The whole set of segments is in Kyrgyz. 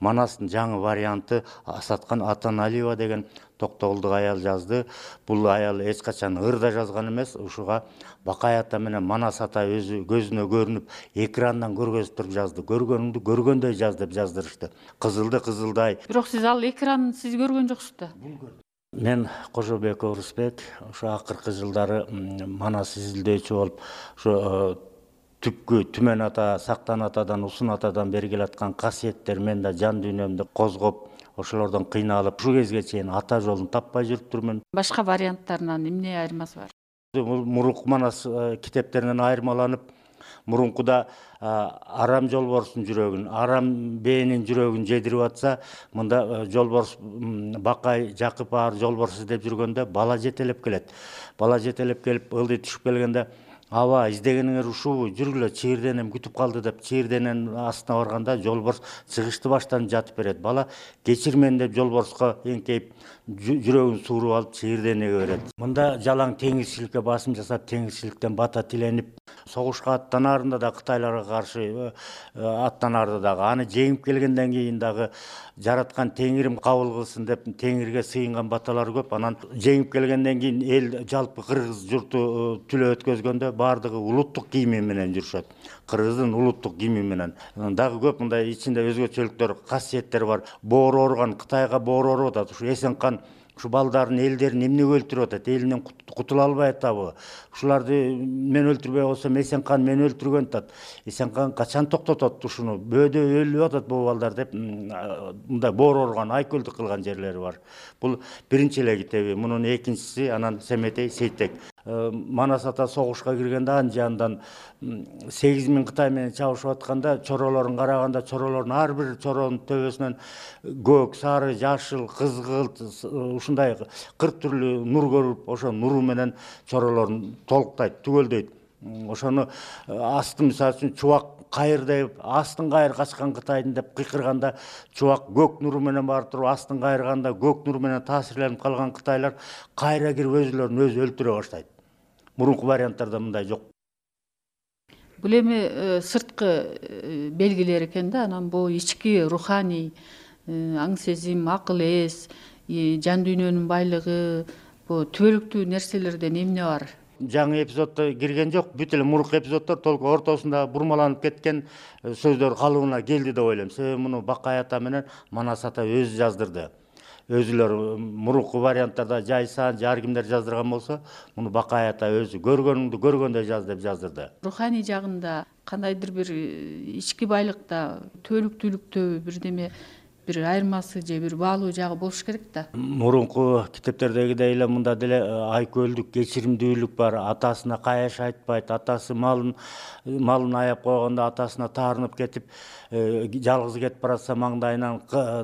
Манастын жаңы варианты Асаткан Атаналиева деген Токтогулдук аял жазды. Бул аял эч качан ырда жазган эмес. Ушуга Бакай ата менен Манас ата өзү көзүнө көрүнүп, экрандан көргөзүп туруп жазды. Көргөнүңдү көргөндөй жаз деп жаздырышты. Кызылды кызылдай. Бирок сиз ал экранын сиз көргөн жоксуз да. Мен Кожобек Орусбек ошо акыркы жылдары Манас изилдөөчү болуп, ошо түпкү Түмөн ата, Сактан атадан, Усун атадан бери келаткан касиеттер мен да жан дүйнөмдү козгоп, ошолордон кыйналып, ушул кезге чейин ата жолун таппай жүрүп турмун. Башка варианттарынан эмне айырмасы бар? Мурунку Манас китептеринен айырмаланып, мурункуда арам жолборстун жүрөгүн, арам бээнин жүрөгүн жедирип атса, мында жолборс Бакай Жакып аар жолборс издеп жүргөндө бала жетелеп келет. Бала жетелеп келип, ылдый түшүп келгенде, аба издегениңер ушубу, жүргүлө, чийирденем күтүп калды деп чийирдененин астына барганда жолборс чыгышты баштан жатып берет. Бала кечир мени деп жолборско эңкейип, жүрөгүн сууруп алып чийирденеге берет. Мында жалаң теңирчиликке басым жасап, теңирчиликтен бата тиленип, согушка аттанаарында да Кытайларга каршы аттанаарда дагы аны жеңип келгенден кийин дагы жараткан теңирим кабыл кылсын деп теңирге сыйынган баталар көп. Анан жеңип келгенден кийин эл жалпы кыргыз журту түлөө өткөзгөндө баардыгы улуттук кийими менен жүрүшөт. Кыргыздын улуттук кийими менен. Дагы көп мындай ичинде өзгөчөлүктөр, касиеттер бар. Боору ооруган, Кытайга боору ооруп атат. Ушу Эсенкан ушу балдарын, элдерин эмнеге өлтүрүп атат? Элинен кутула албай атабы? Ушуларды мен өлтүрбөй койсом Эсенкан мени өлтүргөн атат. Эсенкан качан токтотот ушуну? Бөөдө өлүп атат бул балдар деп мындай боору ооруган, айкөлдүк кылган жерлери бар. Бул биринчи эле китеби. Мунун экинчиси анан Семетей Сейтек. Манас ата согушка киргенде анын жанынан 8000 Кытай менен чабышып атканда чоролорун караганда, чоролордун ар бир чоронун төбөсүнөн көк, сары, жашыл, кызгылт ушундай 40 түрлүү нур көрүп, ошо нуру менен чоролорун толуктайт, түгөлдөйт. Ошону асты мисалы үчүн чубак кайыр деп, астын кайыр качкан Кытайдын деп кыйкырганда, чубак көк нуру менен барып туруп, астын кайырганда көк нуру менен таасирленип калган Кытайлар кайра кирип өзүлөрүн өзү өлтүрө баштайт. Мурунку варианттарда мындай жок. Бул эми сырткы белгилер экен да, анан бул ички руханий аң сезим, акыл эс, жан дүйнөнүн байлыгы, бул түбөлүктүү нерселерден эмне бар? Жаңы эпизоддо кирген жок, бүт эле мурунку эпизоддор толук ортосунда бурмаланып кеткен сөздөр калыбына келди деп ойлойм. Себеби муну Бакай ата менен Манас ата өзү жаздырды. Өзүлөр мурунку варианттарда жайсан, ар кимдер жаздырган болсо, муну Бакай ата өзү көргөнүңдү көргөндөй жаз деп жаздырды. Руханий жагында кандайдыр бир ички байлыкта, түбөлүктүүлүктө бирдеме бир айырмасы же бир баалуу жагы болуш керек да. Мурунку китептердегидей эле мында деле айкөлдүк, кечиримдүүлүк бар. Атасына каяш айтпайт, атасы малын аяп койгондо атасына таарынып кетип, жалгыз кетип баратса маңдайынан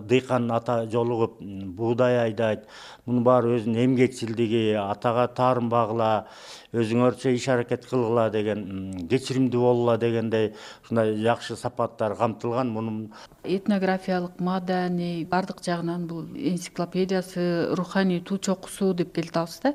дыйкан ата жолугуп буудай айдайт. Мунун баары өзүнүн эмгекчилдиги, атага таарынбагыла, өзүңөрчө иш аракет кылгыла деген, кечиримдүү болгула дегендей ушундай жакшы сапаттар камтылган. Мунун этнографиялык, маданий бардык жагынан бул энциклопедиясы, руханий туу чокусу деп келе атабыз да.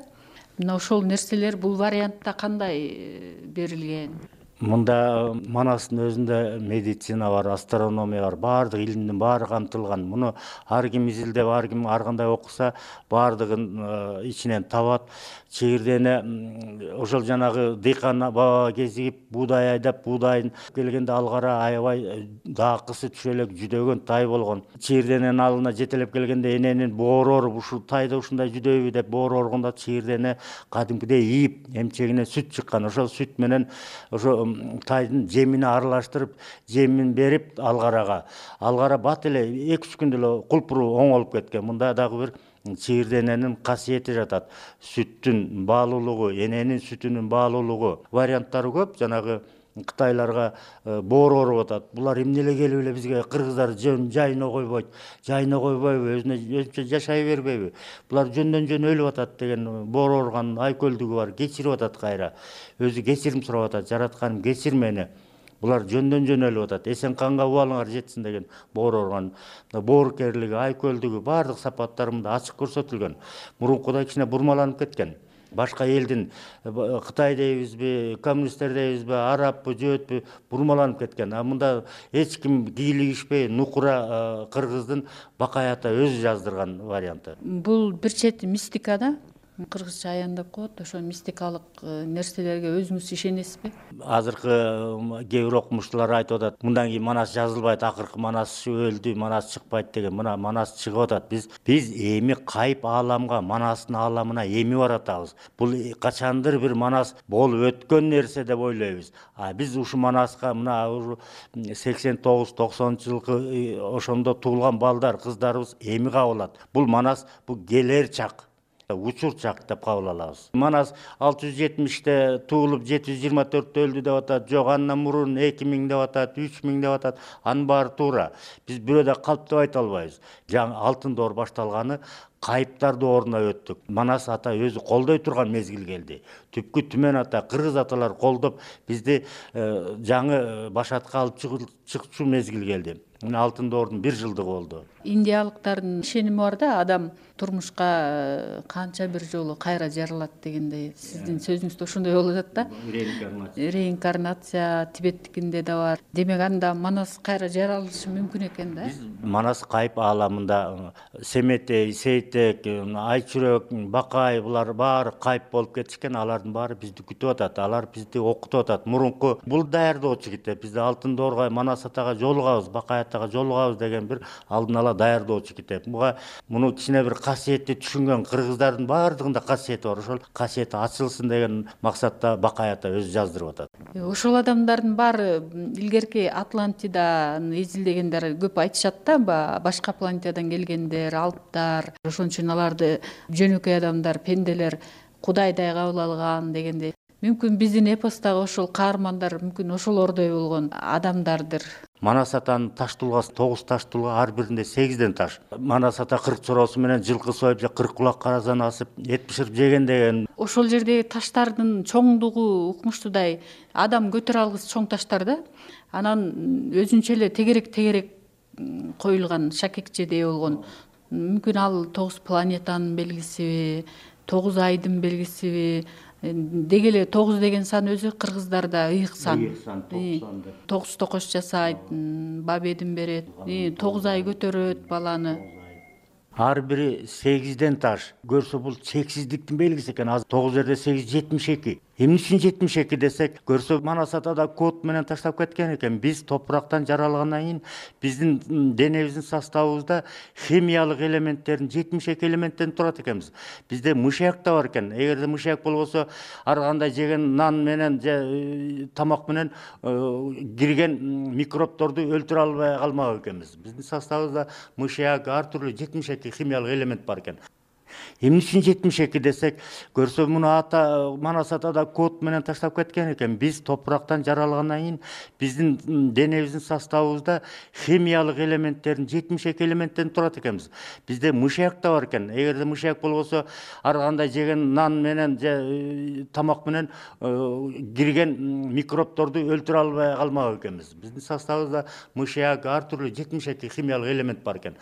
Мына ошол нерселер бул вариантта кандай берилген? Мында Манастын өзүндө медицина бар, астрономия бар, баардык илимдин баары камтылган. Муну ар ким изилдеп, ар ким ар кандай окуса, баардыгын ичинен табат. Чийирдене ошол жанагы дыйкан баба кезигип, буудай айдап, буудайын келгенде алгара аябай даакысы түшө элек жүдөгөн тай болгон. Чийирдененин алына жетелеп келгенде эненин боору ооруп, ушул тайда ушундай жүдөйбү деп боору ооруганда чийирдене кадимкидей ийип, эмчегинен сүт чыккан. Ошол сүт менен ошо тайдын жемине аралаштырып, жемин берип алгара бат эле 2-3 күндө эле кулпуру оңолуп кеткен. Мында дагы бир чийирдененин касиети жатат. Сүттүн баалуулугу, эненин сүтүнүн баалуулугу, варианттары көп. Жанагы Кытайларга боору ооруп атат. Булар эмне эле келип эле бизге кыргыздар жайына койбойт, өзүнө өзүнчө жашай бербейби? Булар жөндөн жөн өлүп атат деген боору ооруган айкөлдүгү бар, кечирип атат кайра. Өзү кечирим сурап атат, жаратканым кечир мени. Булар жөндөн жөн өлүп атат. Эсенканга убалыңар жетсин деген боору ооруган. Боорукерлиги, айкөлдүгү баардык сапаттары мында ачык көрсөтүлгөн. Мурункуда кичине бурмаланып кеткен. Башка элдин Кытай дейбизби, коммунисттер дейбизби, арабпы, жөөтпү бурмаланып кеткен. А мында эч ким кийлигишпей нукура кыргыздын Бакай ата өзү жаздырган варианты. Бул бир чети мистика да. Кыргызча аян деп коет. Ошо мистикалык нерселерге өзүңүз ишенесизби? Азыркы кээ бир окумуштуулар айтып атат, мындан кийин Манас жазылбайт, акыркы Манас өлдү, Манас чыкпайт деген. Мына Манас чыгып атат. Биз эми кайып ааламга, Манастын ааламына эми баратабыз. Бул качандыр бир Манас болуп өткөн нерсе деп ойлойбуз. А биз ушу Манаска мына 89-90 жылкы ошондо туулган балдар, кыздарыбыз эми кабылат. Бул Манас бул келер чак. Учур чак деп кабыл алабыз. Манас 670-те туулуп 724-тө өлдү деп атат. Жок, андан мурун 2000 деп атат, 3000 деп атат. Анын баары туура. Биз бирөө да калп деп айта албайбыз. Жаңы алтын доор башталганы кайыптар дооруна өттүк. Манас ата өзү колдой турган мезгил келди. Түпкү Түмөн ата, кыргыз аталар колдоп бизди жаңы башатка алып чыкчу мезгил келди. Мына алтын доордун 1 жылдыгы болду. Индиялыктардын ишеними бар да, адам турмушка канча бир жолу кайра жаралат дегендей. Сиздин сөзүңүздө ошондой болуп атат да. Реинкарнация Тибеттикинде да бар. Демек анда Манас кайра жаралышы мүмкүн экен да. Манас кайып ааламында Семетей, Сейтек, Айчүрөк, Бакай булар баары кайып болуп кетишкен. Алардын баары бизди күтүп атат. Алар бизди окутуп атат. Мурунку бул даярдоочу китеп. Бизде алтын доорго, Манас атага жолугабыз, Бакай атага жолугабыз деген бир алдын ала даярдоочу китеп. Муну кичине бир касиетти түшүнгөн кыргыздардын баардыгында касиети бар. Ошол касиети ачылсын деген максатта Бакай ата өзү жаздырып атат. Ошол адамдардын баары илгерки Атлантиданы изилдегендер көп айтышат да, башка планетадан келгендер, алыптар. Ошон үчүн аларды жөнөкөй адамдар, пенделер Кудайдай кабыл алган дегендей. Мүмкүн биздин эпостогу ошол каармандар мүмкүн ошолордой болгон адамдардыр. Манас атанын таш тулгасы 9 таш тулга, ар биринде 8ден таш. Манас ата 40 чороосу менен жылкы союп, 40 кулак каразан асып, эт бышырып жеген деген. Ошол жердеги таштардын чоңдугу укмуштуудай, адам көтөрө алгыс чоң таштар да. Анан өзүнчө эле тегерек коюлган шакекчедей болгон. Мүмкүн ал 9 планетанын белгисиби, 9 айдын белгисиби. Деги эле 9 деген сан өзү кыргыздарда ыйык сан. 9 токош жасайт, бабедин берет, 9 ай көтөрөт баланы. Ар бири 8ден таш. Көрсө бул чексиздиктин белгиси экен. Азыр 9 жерде 8 72. Эмне үчүн 72 десек, көрсө Манас ата да код менен таштап кеткен экен. Биз топурактан жаралгандан кийин биздин денебиздин составыбызда химиялык элементтердин 72 элементтен турат экенбиз. Бизде мышьяк да бар экен. Эгерде мышьяк болбосо, ар кандай жеген нан менен же тамак менен кирген микробторду өлтүрө албай калмак экенбиз. Биздин составыбызда мышьяк, ар түрлүү 72 химиялык элемент бар экен. Эмне үчүн 72 десек, көрсө муну Манас ата да код менен таштап кеткен экен. Биз топурактан жаралгандан кийин биздин денебиздин составыбызда химиялык элементтердин 72 элементтен турат экенбиз. Бизде мышьяк да бар экен. Эгерде мышьяк болбосо, ар кандай жеген нан менен же тамак менен кирген микробторду өлтүрө албай калмак экенбиз. Биздин составыбызда мышьяк, ар түрлүү 72 химиялык элемент бар экен.